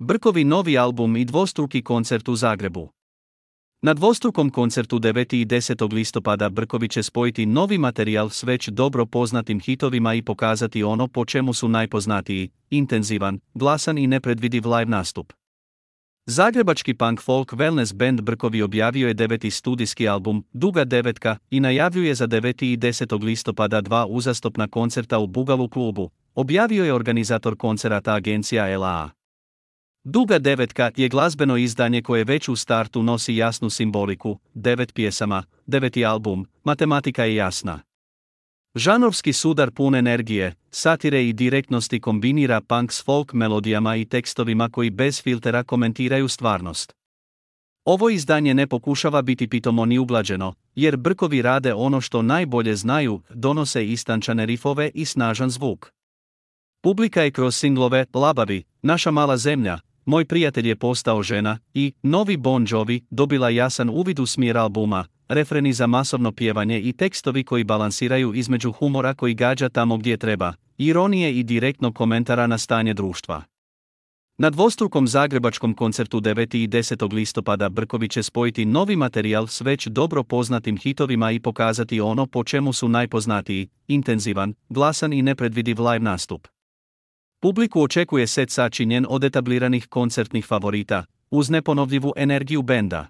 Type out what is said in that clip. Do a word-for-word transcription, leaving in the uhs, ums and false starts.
Brkovi novi album i dvostruki koncert u Zagrebu. Na dvostrukom koncertu devetog i desetog listopada Brkovi će spojiti novi materijal s već dobro poznatim hitovima i pokazati ono po čemu su najpoznatiji, intenzivan, glasan i nepredvidiv live nastup. Zagrebački punk folk wellness band Brkovi objavio je deveti studijski album, Duga devetka, i najavljuje za devetog i desetog listopada dva uzastopna koncerta u Bugalu klubu, objavio je organizator koncerata agencija L A A. Duga devetka je glazbeno izdanje koje već u startu nosi jasnu simboliku, devet pjesama, deveti album, matematika je jasna. Žanrovski sudar pun energije, satire i direktnosti kombinira punk s folk melodijama i tekstovima koji bez filtera komentiraju stvarnost. Ovo izdanje ne pokušava biti pitomo ni uglađeno, jer Brkovi rade ono što najbolje znaju, donose istančane rifove i snažan zvuk. Publika je kroz singlove Labavi, Naša mala zemlja, Moj prijatelj je postao žena i Novi Bon Jovi dobila jasan uvid u smjer albuma, refreni za masovno pjevanje i tekstovi koji balansiraju između humora koji gađa tamo gdje treba, ironije i direktnog komentara na stanje društva. Na dvostrukom zagrebačkom koncertu devetog i desetog listopada Brkovi će spojiti novi materijal s već dobro poznatim hitovima i pokazati ono po čemu su najpoznatiji, intenzivan, glasan i nepredvidiv live nastup. Publiku očekuje set sačinjen od etabliranih koncertnih favorita, uz neponovljivu energiju benda.